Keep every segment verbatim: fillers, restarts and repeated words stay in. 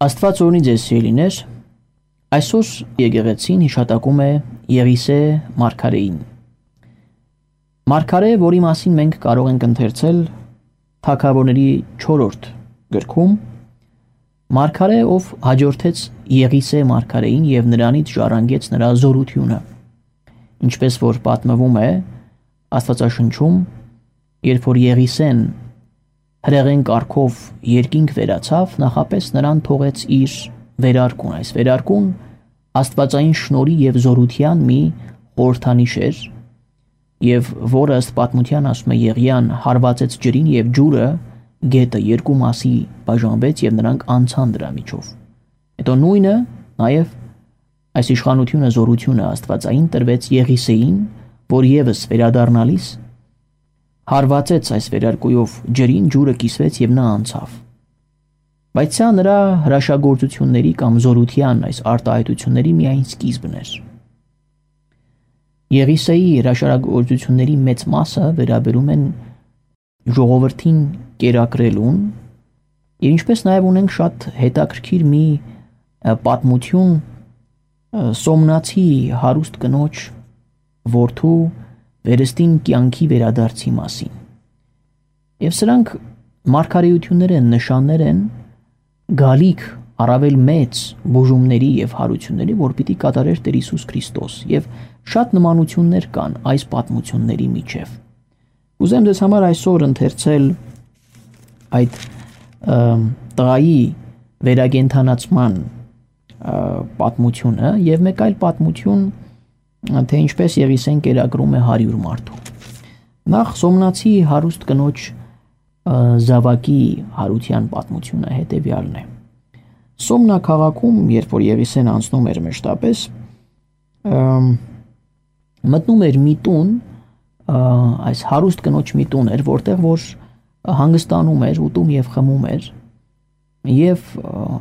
Աստված օրհնի ձեզ սիրելիներ, այսօր եկեղեցին հիշատակում է Եղիսե մարգարեին։ Մարգարե, որի մասին մենք կարող ենք ընթերցել Թագավորների չորրորդ գրքում, մարգարե, ով հաջորդեց Եղիսե մարգարեին եւ նրանից ժառանգեց նրա զորությունը, ինչպես որ պատմվում է Աստվածաշնչում, երբ որ Եղիսեն հրեղեն կարգով երկինք վերացավ, նախապես նրան թողեց իր վերարկուն։ Այս վերարկուն աստվածային շնորհի եւ զորության մի խորհրդանիշ էր, եւ որը ըստ պատմության ասում է Եղիան հարվածեց ջրին եւ ջուրը գետը երկու մասի բաժանվեց եւ նրանք անցան դրա միջով։ Հետո նույնը նաեւ այս իշխանությունը, զորությունը աստվածային տրվեց Եղիսեին, որ եւս վերադառնալիս հարվածեց այս վերարկուով ջրին, ջուրը կիսվեց եւ նա անցավ։ Բայց սա նրա հրաշագործությունների կամ զորության այս արտահայտությունների միայն սկիզբն էր։ Եղիսեի հրաշագործությունների մեծ մասը վերաբերում են ժողովրդին կերակրելուն, եւ ինչպես նաեւ ունենք շատ հետաքրքիր մի պատմություն Սոմնացի հարուստ կնոջ որդու վերստին կյանքի վերադարձի մասին։ Եվ սրանք մարգարեություններ են, նշաններ են գալիք առավել մեծ բուժումների եւ հարությունների, որ պիտի կատարեր Տեր Հիսուս Քրիստոս, եւ շատ նմանություններ կան այս պատմությունների միջև։ Ուզեմ ձեզ համար այսօր ընթերցել այդ տղայի վերագենթանացման պատմությունը եւ մեկ այլ պատմություն, թե ինչպես Եղիսեն կերակրում է հարյուր մարդու։ Նախ Սոմնացի հարուստ կնոջ զավակի հարության պատմությունը հետևյալն է։ Սոմնա քաղաքում, երբ որ Եղիսեն անցնում էր մեջտապես, մտնում էր մի տուն, այս հարուստ կնոջ մի տուն էր, որտեղ որ հանգստանում էր, ուտում եւ խմում էր, եւ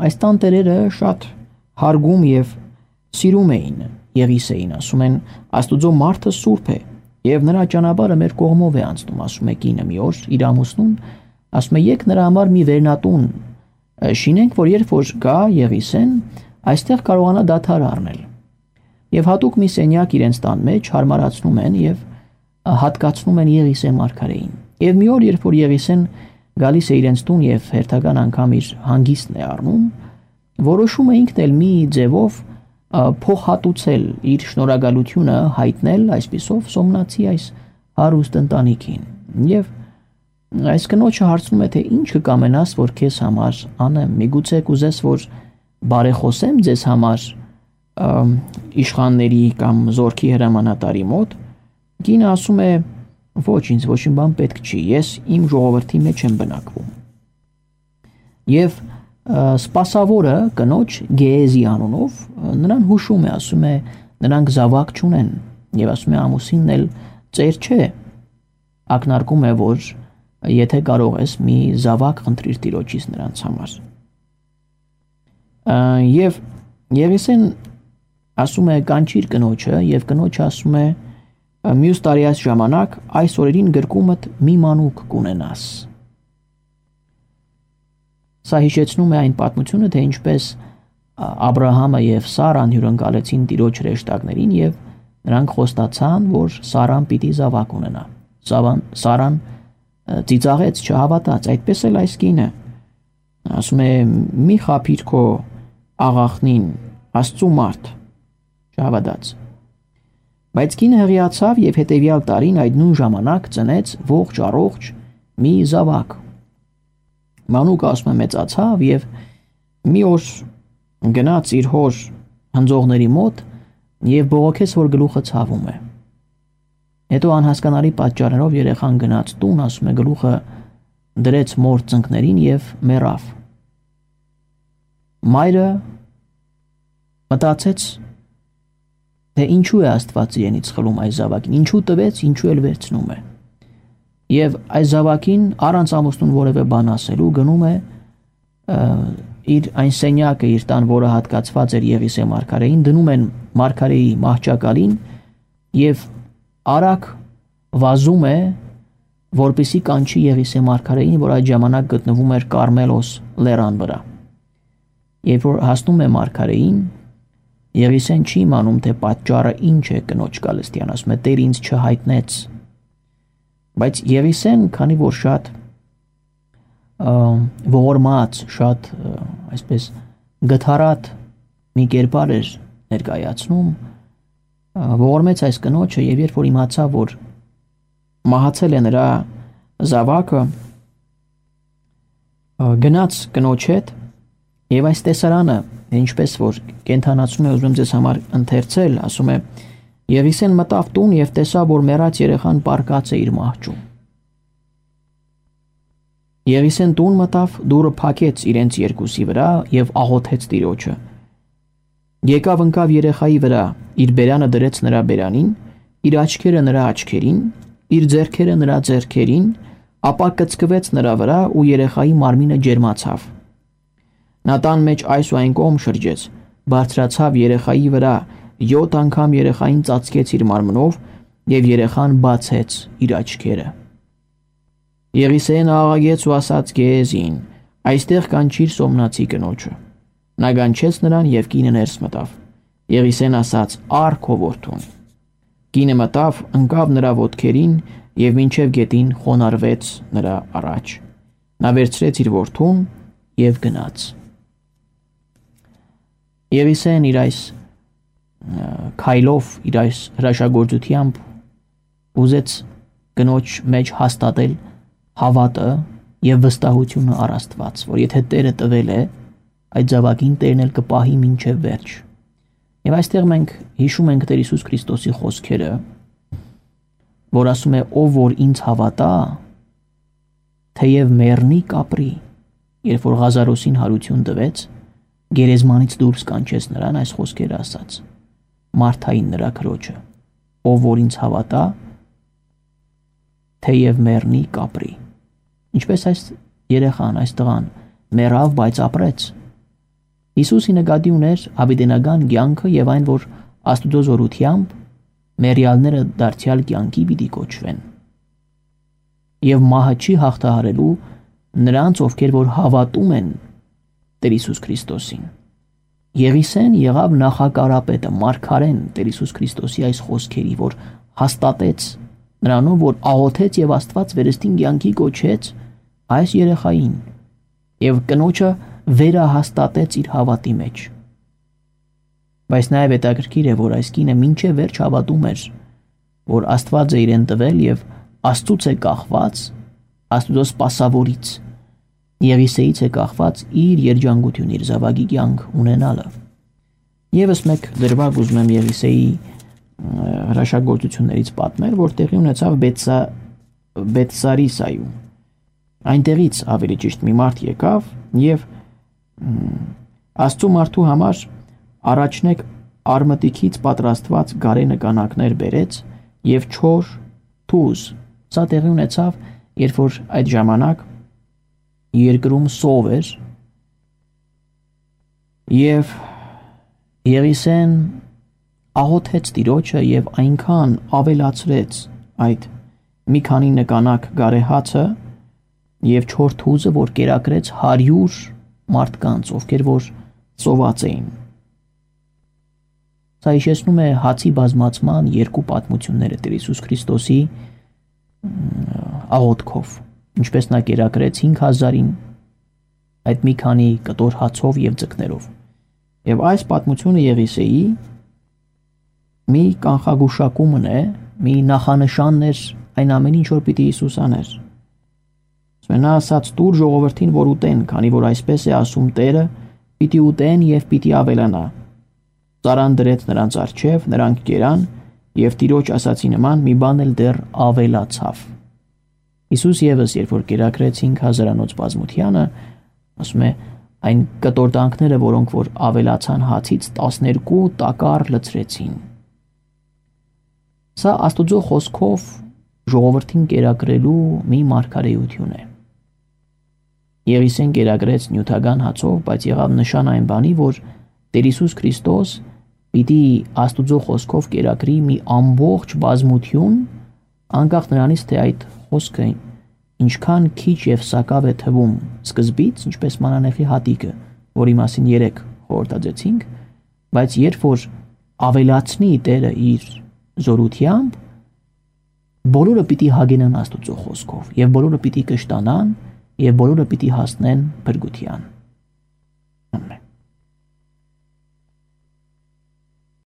այս տանտերերը շատ հարգում եւ սիրում էին Եղիսեին, ասում են Աստուծո մարդը սուրբ է եւ նրա ճանապարհը մեր կողմով է անցնում, ասում է կինը մի օր իր ամուսնուն, ասում է եկ նրա համար մի վերնատուն շինենք, որ երբ որ գա Եղիսեն, այստեղ կարողանա դադար առնել։ Եվ հատուկ մի սենյակ իրենց տան մեջ հարմարացնում են եւ հատկացնում են Եղիսե մարգարեին։ Եվ մի օր, երբ որ Եղիսեն գալիս է իրենց տուն եւ հերթական անգամ իր հանգիստն է առնում, որոշում է ինքն էլ մի ձևով փոխհատուցել իր շնորհակալությունը, հայտնել այսպիսով Սոմնացի այս հարուստ ընտանիքին։ Եվ այս կնոջը հարցնում է, թե ինչ կամենաս, որ քեզ համար անեմ, միգուցե կուզես, որ բարեխոսեմ ձեզ համար իշխանների կամ զորքի հրամանատարի մոտ։ Կինը ասում է, ոչ, ինձ ոչինչ բան պետք չի, ես իմ ժողովրդի մեջ եմ բնակվում։ Եվ սպասավորը կնոջ Գեեզի անունով նրան հուշում է, ասում է նրանք զավակ չունեն եւ ասում է ամուսինն էլ ծեր չէ, ակնարկում է, որ եթե կարող ես մի զավակ խնդրիր տիրոջից նրանց համար։ Եվ Եղիսեն ասում է կանչիր կնոջը եւ կնոջը ասում է մյուս տարի այս ժամանակ այս օրերին գրկումդ մի մանուկ կունենաս։ Սա հիշեցնում է այն պատմությունը, թե ինչպես Աբրահամը եւ Սարան հյուրընկալեցին տիրոջ հրեշտակներին եւ նրանք խոստացան, որ Սարան պիտի զավակ ունենա։ Սարան ծիծաղեց, չհավատաց, այդպես էլ այս կինը ասում է մի խափիր քո աղախնին, Աստծու մարդ, չհավատաց։ Բայց կինը հղիացավ եւ հետեւյալ տարին այդ նույն ժամանակ ծնեց ողջ առողջ մի զավակ։ Մանուկը ասում է մեծացավ եւ մի օր գնաց իր հոր հնձողների մոտ եւ բողոքեց, որ գլուխը ցավում է։ Հետո անհասկանալի պատճառներով երեխան գնաց տուն, ասում է գլուխը դրեց մոր ծնկներին եւ մեռավ։ Մայրը մտածեց, թե ինչու է Աստված իրենից խլում այս զավակին, ինչու տվեց, ինչու էլ վերցնում է։ Եվ այս զավակին առանց ամուսնուն որևէ բան ասելու գնում է իր այն սենյակը իր տան, որը հատկացված էր Եղիսե մարգարեին, դնում են մարգարեի մահճակալին եւ արագ վազում է, որպեսզի կանչի Եղիսե մարգարեին, որ այդ ժամանակ գտնվում էր Կարմելոս լեռան վրա։ Երբ որ հասնում է մարգարեին, Եղիսեն չի իմանում, թե պատճառը ինչ է կնոջ գալստյան, ասում է Տեր ինձ չհայտնեց։ Բայց Եղիսեն, քանի որ շատ ողորմած, շատ այսպես գթառատ մի կերպար էր ներկայացնում, ողորմեց այս կնոջը, եւ երբ որ իմացավ, որ մահացել է նրա զավակը, գնաց կնոջ հետ եւ այս տեսարանը, ինչպես որ կենթանացնում է, ուզում եմ ձեզ համար ընթերցել, ասում է. Եղիսեն մտավ տուն եւ տեսավ, որ մեռած երեխան պառկած է իր մահճում։ Եղիսեն տուն մտավ, դուռը փակեց իրենց երկուսի վրա եւ աղոթեց Տիրոջը։ Եկավ ընկավ երեխայի վրա, իր բերանը դրեց նրա բերանին, իր աչքերը նրա աչքերին, իր ձեռքերը նրա ձեռքերին, ապա կծկվեց նրա վրա ու երեխայի մարմինը ջերմացավ։ Նա տան մեջ այս ու այն կողմ շրջեց, բարձրացավ երեխայի վրա, յոթ անգամ երեխային ծածկեց իր մարմնով եւ երեխան բացեց իր աչքերը։ Եղիսեն աղաղեց ու ասաց Գեհեզին. այստեղ կանչիր Սոմնացի կնոջը։ Նա կանչեց նրան եւ կինը ներս մտավ։ Եղիսեն ասաց. «Ար քո որդուն»։ Կինը մտավ, ընկավ նրա ոտքերին եւ մինչեւ գետին խոնարհվեց նրա առաջ։ Նա վերցրեց իր որդուն եւ գնաց։ Եղիսեն իր այս քայլով, իր այս հրաշագործությամբ ուզեց կնոջ մեջ հաստատել հավատը եւ վստահությունը առ Աստված, որ եթե Տերը տվել է, այդ զավակին Տերն էլ կպահի մինչև վերջ։ Եվ այստեղ մենք հիշում ենք Տեր Հիսուս Քրիստոսի խոսքերը, որ ասում է. ով որ ինձ հավատա, թեև մեռնի կապրի, երբ որ Ղազարոսին հարություն տվեց, գերեզմանից դուրս կանչեց նրան այս խոսքերը ասաց Մարթային նրա քրոջը, ով որ ինձ հավատա, թեև մեռնի կապրի։ Ինչպես այս երեխան, այս տղան մեռավ, բայց ապրեց։ Հիսուսի նկատի ուներ հավիտենական կյանքը եւ այն, որ Աստուծո զորությամբ մեռյալները դարձյալ կյանքի պիտի կոչվեն։ Եվ մահը չի հաղթահարելու նրանց, ովքեր որ հավատում են Տեր Հիսուս Քրիստոսին։ Եղիսեն եղավ նախակարապետը, մարգարեն Տեր Հիսուս Քրիստոսի այս խոսքերի, որ հաստատեց նրանով, որ աղոթեց եւ Աստված վերստին կյանքի կոչեց այս երեխային եւ կնոջը վերահաստատեց իր հավատի մեջ։ Բայց նաեւ հետաքրքիր է, որ այս կինը մինչև վերջ հավատում էր, որ Աստված է իրեն տվել եւ Աստծուց է կախված, Աստուծո սպասավորից, Եղիսեից է կախված իր երջանկություն, իր զավակի կյանք ունենալը։ Եվս մեկ դրվագ ուզում եմ Եղիսեի հրաշագործություններից պատմել, որ տեղի ունեցավ Բեթսարիսայում։ Այնտեղից ավելի ճիշտ մի մարդ եկավ եւ Աստծո մարդու համար առաջնեկ արմատիկից պատրաստված գարենը կանակներ բերեց եւ չոր թուզ։ Սա տեղի ունեցավ, երբ որ այդ ժամանակ երկրում սով էր եւ Եղիսեն աղոթեց Տիրոջը եւ այնքան ավելացրեց այդ մի քանի նկանակ գարեհացը եւ չոր թուզը, որ կերակրեց հարյուր մարդկանց, ովքեր որ սոված էին։ Սա հիշեցնում է հացի բազմացման երկու պատմությունները Տեր Հիսուս Քրիստոսի աղոթքով, ինչպես նա կերակրեց հինգ հազարին այդ մի քանի կտոր հացով եւ ձկներով։ Եվ այս պատմությունը Եղիսեի մի կանխագուշակումն է, մի նախանշանն էր այն ամեն ինչ, որ պիտի Հիսուս աներ։ Նա ասաց տուր ժողովրդին, որ ուտեն, քանի որ այսպես է ասում Տերը, պիտի ուտեն եւ պիտի ավելանա։ Ծարան դրեց նրանց առջև, նրանք կերան եւ Տիրոջ ասացի նման մի բան էլ դեռ ավելացավ։ Հիսուս եւս երբ որ կերակրեց հինգ հազարանոց բազմությանը, ասում է այն կտորտանքները, որոնք որ ավելացան հացից տասներկու տակառ լցրեցին։ Սա Աստուծո խոսքով ժողովրդին կերակրելու մի մարգարեություն է։ Եղիսեն կերակրեց նյութական հացով, բայց եղավ նշան այն բանի, որ Տեր Հիսուս Քրիստոս պիտի Աստուծո խոսքով կերակրի մի ամբողջ բազմություն, անկախ նրանից, թե այդ խոսքը ինչքան քիչ եւ սակավ է թվում սկզբից, ինչպես մանանեխի հատիկը, որի մասին երեք խորհրդածեցինք, բայց երբ որ ավելացնի Տերը իր զորությամբ, բոլորը պիտի հագենան Աստուծո խոսքով, եւ բոլորը պիտի կշտանան, եւ բոլորը պիտի հասնեն փրկության։